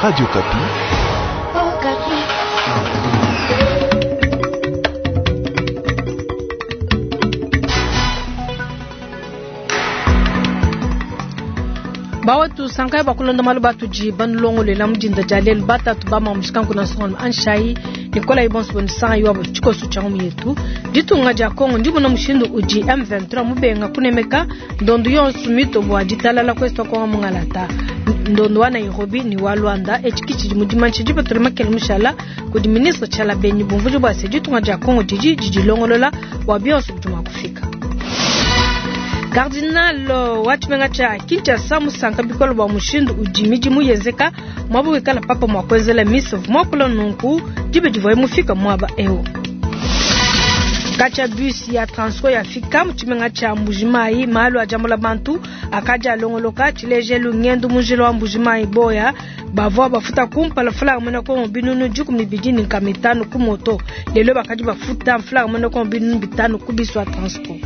Radio Okapi. Bawetu sankayi bua kulonda malu batudi banulongolela mu dinda dia lelu batatu ba mamushikanku na nsongalume anshayi nikolayi bonso bonisanga wabo tshikoso tshia ngumu yetu. Ditunga dia Kongo ndimona mushindu udi M23 mubenga kunemeka ndondo yonso mito bua ditalala kwesu kongo mungalata ndondo wa Nairobi ni wa Luanda etshi tshidi mu dimanshi dipatula makele mushala kudi ministre Tshiala Benyi bumvudi bua se ditunga dia Kongo didi didilongolola bua bionso bidi mua kufika. Cardinal wa tshimenga tshia Kinshasa musanka bikole bua mushindu udi midimu yenzeka muaba wikala papa mua kuenzela misa muakula nunku diba divuaye mufika muaba eu. Katshia bus ya Transco yafika mu tshimenga tshia Mbujimayi malu a diambula bantu akadi alongoloka tshilejelu ngendu mu njila wa Mbujimayi boya bavua bafuta kumpala mfulanga muena Kongo binunu 25 ku moto lelo bakadi bafuta mfulanga muena Kongo binunu 5 ku bus wa Transco.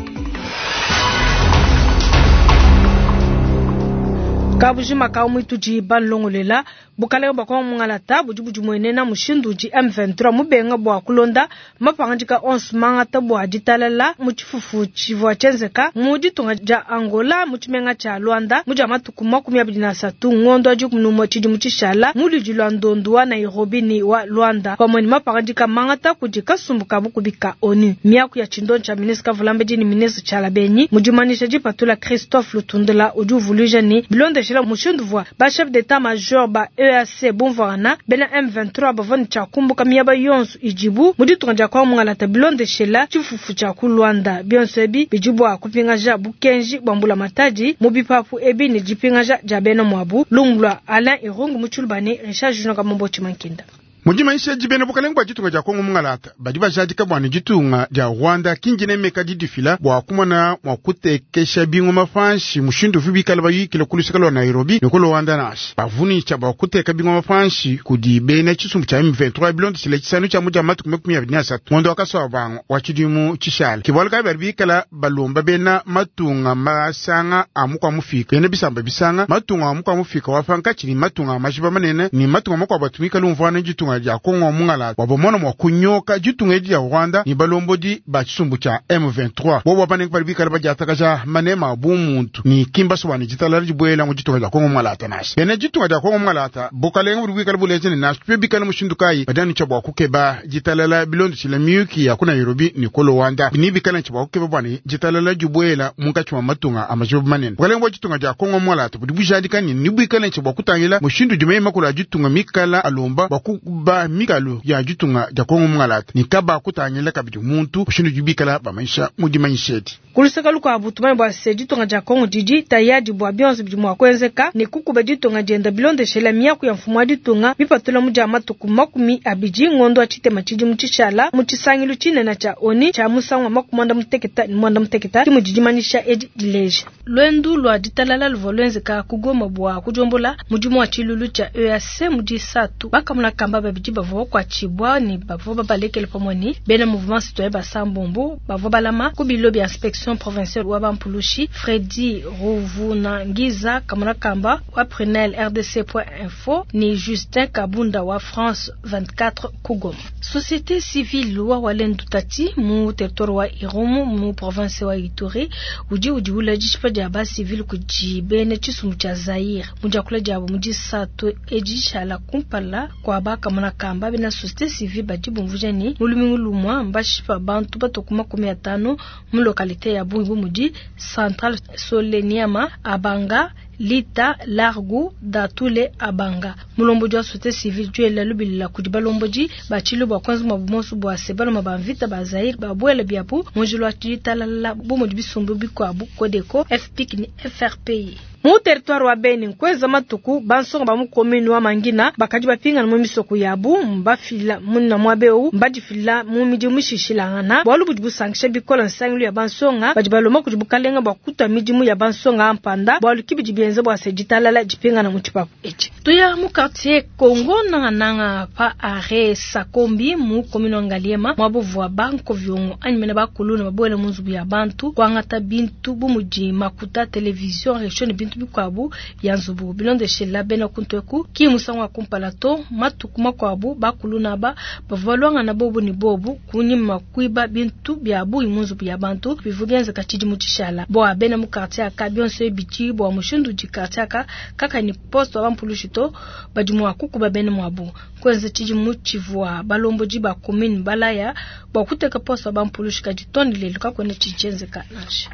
Kabujima ka mwitudi banlongolela bukalenge bua Kongo mungalata budi budi muenena mushindu udi M23 mubenga bua kulonda mapangadika onso mangata bua ditalala mu tshifufu tshivua tshienzeka mu ditunga dia Angola mu tshimenga tshia Luanda mu dia matuku 23 ngondo wa 11 tshidimu tshishala mu ludi lua ndondo wa Nairobi ni wa Luanda pamue ne mapangadika mangata kudi kasumbu ka bukubi ka ONU. Miaku ya tshindondo tshia ministre Kavulambedi ni ministre Tshiala Benyi mu dimanyisha dipatula Christophe Lutundula udi uvuluija ni bilondeshela mushindu vua ba chef d'état major ba EAC bumvuangana bena M23 bavua ne tshiakumbuka miaba yonso idibu mu ditunga dia Kongo mungalata bilondeshela tshifufu tshia ku Luanda. Bionso ebi bidi bua kupingaja bukenji bua mbulamatadi mu bipapu ebi ne dipingaja dia bena muabu. Lungu lua Alain Irungu mu Tshiluba ne Richard Junior Kamombo Tshimankinda. Mu dimanyishi dibena bukalenge bua ditunga dia Kongo mungalata badi bajadika bua ne ditunga dia Rwanda kindinemeka didifila bua kumona mua kutekesha bingoma panshi mushindu uvi bikala bayikila ku luseke lua Nairobi ne ku Luanda nansha bavunisha bua kuteka bingoma panshi kudi bena tshisumbu tshia M23 bilondeshile tshisanu tshia mu dia matuku 23 ngondo wa kasoa bango wa tshidimu tshishala kibualu kayi badi bikala balomba bena matunga masanga a mukua mufika bena bisamba bisanga matunga a mukua mufika wa pankatshi ni matunga a majiba manene ni matunga makuabu atumikala umvuana ditunga dia Kongo mungalata wabomona mwa kunyoka ditunga edi dia Rwanda ni balombodi ba tshisumbu tshia M23 bobo banenge bali bikala badiatakaja manema a bumuntu ni kimbaso bwani ditalala dibuela mu ditunga dia Kongo mungalata nasha bena ditunga dia Kongo mungalata bukalenga budi bwikala buleje ne nasha pe bikala mushindu kayi badani tshia bua kukeba ditalala bilondeshile miyuki ya ku Nairobi ni ku Luanda ni bikala tshia bua kukeba bwani ditalala dibuela munkatshi mwa matunga a majiba manene bukalenga bua ditunga dia Kongo mungalata budi bujadika ni ni bwikala tshia bua kutangila mushindu dimeye makulu a ditunga mikala alomba bua ba mikalu ya ditunga dia Kongo mungalata ni kaba kutangila kabidi muntu mushindu dibikala bamaisha mu dimanyishedi kuluseka lukuabu tumanye bua se ditunga dia Kongo didi tayadi bua bionso bidi mua kuenzeka ne kukuba ditunga dienda bilondeshela miaku ya mfumu wa ditunga mipatula mu dia matuku 20 ngondo wa tshitema tshidimu tshishala mu tshisangilu tshinene tshia ONU tshia musangu wa 96 kimu didimanyisha edi dileja. Lwendu lwa ditalala luvua luenzeka ku Goma bua kudiombola mudimu wa tshilulu tshia EAC mu disatu bakamuna kamba babidi bavua bakuatshibua ne bavua babalekele pamue ne bena mouvement citoyen basambombo bavua balama ku bilo bia inspection provinciale wa Bampulushi Freddy Ruvunangiza kamuna kamba wa Prunel RDC.info ni Justin Kabunda wa France 24 ku Goma. Société civile wa Walendu Tati mu territoire wa Irumu mu province wa Ituri udi udi ula dishipa dia ba civile kudi bena tshisumbu tshia Zaire mu diakula diabo mu disatu edi tshala kumpala kwa bakamuna kamba bena société civile badi bumvuja ni mu lumingu lumua mbashipa bantu batoku 50 mu localité ya Bungi mudi Central Soleniama Abanga Lita Largu Datule Abanga mulombodi wa société civile duela lubilila kudi balombodi bachilu bua kwanza mwa bumonso bua se baloma ba mvita ba Zaire babuela biapu munjulu wa ditalala bu mudi bisumbu bikuabu Codeco FPIC ni FRPI mu territoire wa Beni nkweza matuku bansonga ba mu commune wa Mangina bakadi bapingana mu misoko yabu mbafila munna mwabeu mbadifila mu midimu mishishilangana bualu budi busankisha bikola nsangilu ya bansonga badi baloma kudi bukalenga bua kutwa midimu ya bansonga ampanda bualu kibidi. bienza bua se ditalala dipingana mu tshipapu etshi. Tuya mu quartier Congo nangananga pa arrêt Sakombi mu commune wa Ngaliema muaba uvua ba nkoviongo anyi mena bakuluna babuela mu nzubu ya bantu kuangata bintu bu mudi makuta, television, resho ne bintu bikuabu bia nzubu. Bilondeshela bena kuntu eku ki musangu wa kumpala to, matuku makuabu bakuluna aba bavua baluangana bobu ne bobu kunyima kuiba bintu bia bungi mu nzubu ya bantu bivua bienzeka tshidimu tshishala. Bua bena mu quartier aka bionso ebi bidi bua mushindu udi quartier aka kakayi ne poste wa bampulushi to, badi mua kukuba bena muabu. Kuenza tshidimu tshivua balombodi ba commune balaya bua kuteka poste wa bampulushi, kadi too ne lelu kakuena tshidi tshienzeka nansha.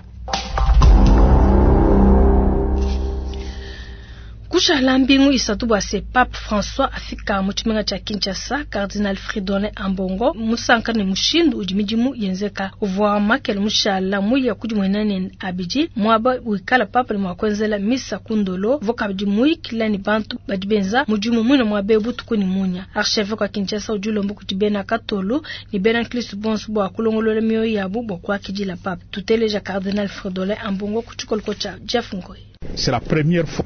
Kushala mbingu isatu bua se Pape François afika mu tshimenga tshia Kinshasa, Cardinal Fridolin Ambongo musanka ne mushindu udi midimu yenzeka. Uvua makele mushala muya kudimuena ne abidi muaba wikala Pape ne mua kuenzela misa ku Ndolo. Uvua kabidi muyikila ne bantu badi benza mudimu muine muaba eu butuku ne munya. Archevêque wa Kinshasa udi ulomba kudi bena Katolo ne bena Nkristo bonso bua kulongolola mioyo yabu bua kuakidila Pape. Tuteleja Cardinal Fridolin Ambongo ku tshikoloko tshia Jeff Ngoy.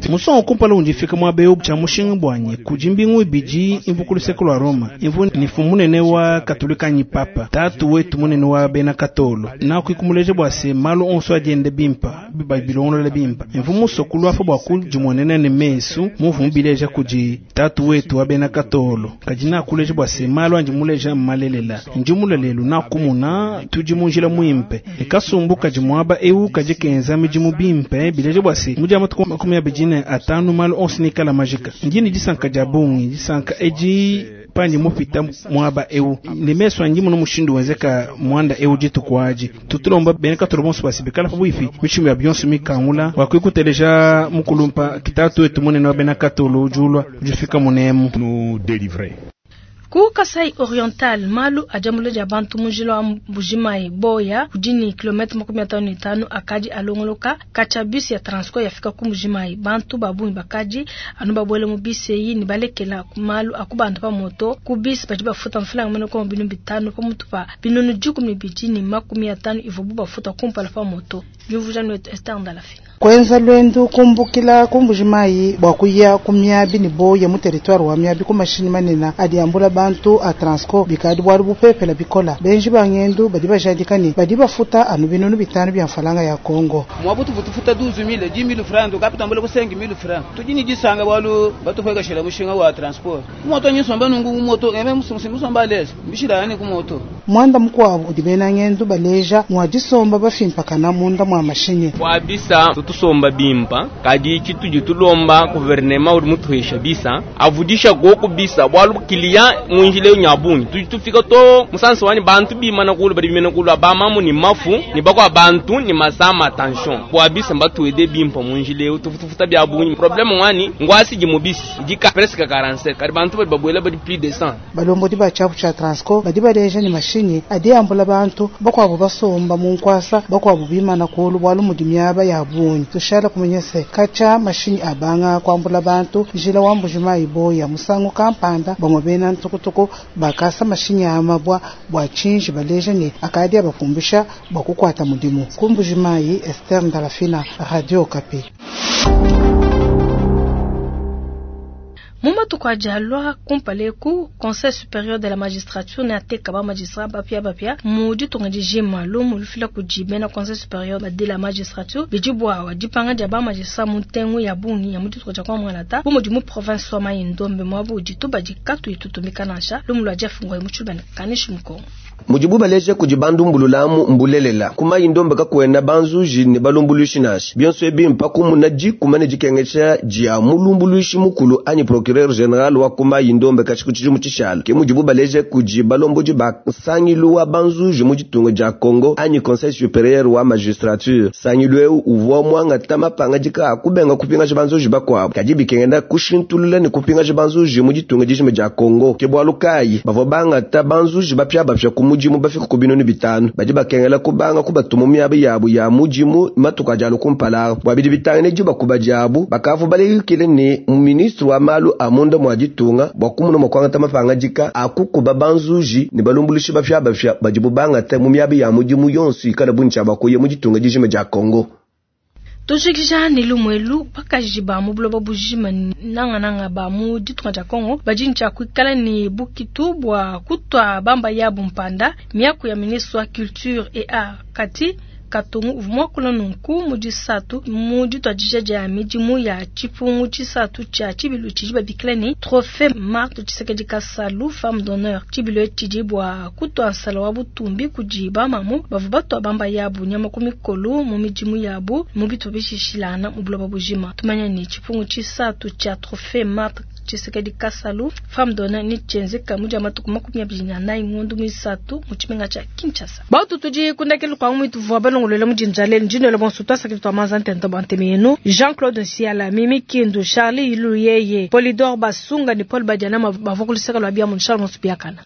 Musangu wa kumpala undi mfika muaba eu tshia mushinga buanyi kudi mbingu ibidi imvu ku luseke lua Roma, imvu ne mfumu munene wa Katolika anyi Papa, tatu wetu munene wa bena Katolo. Nakuikumuleja bua se malu onso adi enda bimpa, bilongolola bimpa. Imvu musue kuluafa bua kudimuenena ne mesu muvu mubileja kudi tatu wetu wa bena Katolo. Kadi nakuleja bua se malu andi muleja mmalelela. Ndi mulue lelu nakumuna tudi mu njila muimpe. Ne kasumbu kadi muaba eu kadi kenza midimu bimpe, bileja bua se mu dia matuku 25 malu onso nikala majika. Ndi ne disanka dia bungi, disanka edi pandi mupita muaba eu ne mesu andi muna mushindu wenzeka muanda eu dituku adi. Tutulomba bena Katolo bonso basibikala pabuipi mishimbu ya bionso mikangula bua kuikuteleja mukulumpa kitatu wetu munene wa bena Katolo ujulwa ujifika munemu. Ku Kasai Oriental malu ajambula dia bantu mu njila wa Mbujimayi Boya udi ne kilomètre 55 akadi alongoloka katshia bus ya Transco yafika ku Mbujimayi. Bantu ba bungi bakadi anu babuele mu bus eyi ne balekela malu akubanda pa moto ku bus badi bafuta mfranga mene ko binu 5 pamutu pa binunu 150 ivuabu bafuta kumpala pa moto. Diumvuija netu Esther Ndalafina. Kwenza lwendu kumbukila ku Mbujimayi bua kuya ku miabi ne boya mu territoire wa miabi ku mashinyi manene adi ambula bantu a Transco bikadi bualu bupepela bikola. Benji ba ngendu badi bajadika ne badi bafuta anu binunu 5 bia mfalanga ya Congo. Mwabutu futufuta 12000 10000 francs tukapitambula ku 5000 francs. Tudi ni disanga bualu batupwekeshela mushinga wa transport. Ku moto nyisomba nungu ku moto eme musomba lezi mbishila yani ku moto. Mwanda mukwabu udi bena ngendu baleja mwa disomba bafimpakana munda mwa mashinyi. Kwa bisa tutusomba bimpa kadi chitudi tulomba gouvernement uri mutuhesha bisa avudisha goku bisa bwalu kilia munjile nyabungi tudi tufika to musanso wani bantu bimana kulu bali bimena kulu abamamu ni mafu ni bakwa bantu ni masama tension kwa bisa mbatuede bimpa munjile tufutufuta bya bungi problème wani ngwasi jimubisi dika presque 47 kadi bantu bali babwela bali plus de 100 balombodi ba chapu cha Transco badi baleja ni mashinyi adi ambula bantu bakwabo basomba mu nkwasa bakwabo bimana kulu bwalu mudi miaba ya bungi tushala kumenyese kacha mashinyi abanga kwambula bantu njila wa Mbujimayi Boya musangu kampanda bamwe bena ntukutuku bakasa mashinyi amabwa bwa chinji baleja ni akadi abapumbisha bwa kukwata mudimu. Ku Mbujimayi, Esther Ndalafina, Radio Okapi. Mu matuku a dialua kumpala Conseil supérieur de la magistrature ne ateka ba magistrat bapia bapia mu ditunga dijima lumu lufila kudi bena Conseil supérieur de la magistrature bidi bua dipanga dia ba magistrat mu ntengu ya bungi ya mu ditunga dia kwa mwanata bu mudi mu province wa Mai-Ndombe muabu dituba dikatu itutumika nansha lumu lua Jeff Ngoy mu tshibana kanishi mukongo. Mujibu baleje kudi bandumbululamu mbulelela kuma indombe kakwena banzuji ne balumbuluishi nashi bionso ebi mpaka muna dikumane dikengesha dia mulumbuluishi mukulu anyi procureur general wa kuma indombe kachiku tshidimu tshishala ke mujibu baleje kudi balombodi ba sangilu wa banzuji mu ditunga dia Congo anyi conseil supérieur wa magistrature. Sangilu eu uvua mwangata mapanga dika kubenga kupingaja banzuji bakwabo kadi bikengenda kushintulula ne kupingaja banzuji mu ditunga dijima dia Congo ke bwalu kayi bavua bangata banzuji bapya bapya ku mudimu bafika ku binunu 5 badi bakengela kubanga kubatuma miaba yabo ya mudimu matuku ajalo kumpala bwa bidi bitangene diba kuba diabu bakavu baleyukile ne ministre wa malu a munda mwa ditunga bwa kumuna mwa kwangata mapanga dika akukuba banzuji ne balumbulushi bapya bapya badi bubangata mu miaba ya mudimu yonso ikala buntsha bakuye mu ditunga dijima dia Congo. Tujikija ne lumuelu bakaji ba mu buloba bujima nangananga ba mu ditunga dia Kongo badi ne tshia kuikala ne bukitu bua kutua bamba yabu mpanda. Miaku ya ministre wa culture et art Cathy Katongo uvua muakula nunku mu disatu mu dituadija dia midimu ya tshipungu tshisatu tshia tshibilu tshidi babikila ne Trophée Marthe Tshisekedi Kasalu Femme d'honneur. Tshibilu etshi tshidi bua kutua nsala wa butumbi kudi bamamu bavua batua bamba yabu nyama ku mikolo mu midimu yabu mu bitupa bishishilangana mu buloba bujima. Tumanya ne tshipungu tshisatu tshia Trophée Marthe Tshisekedi Kasalu Femme d'honneur ne tshienzeka mu dia matuku 24 ngondo muisatu mu tshimenga tshia Kinshasa. Bautu tudi kundakelu kwa mwitu vua balongolola mu dinda lelu ndinelo bonso twasakili twa manza ntenta bua nteme yenu Jean-Claude Nsiala, Mimi Kindu, Charlie Iluyeye, Polydor Basunga ne Paul Badiana bavua ku luseke lua bia mu Charles Monsu Biakana.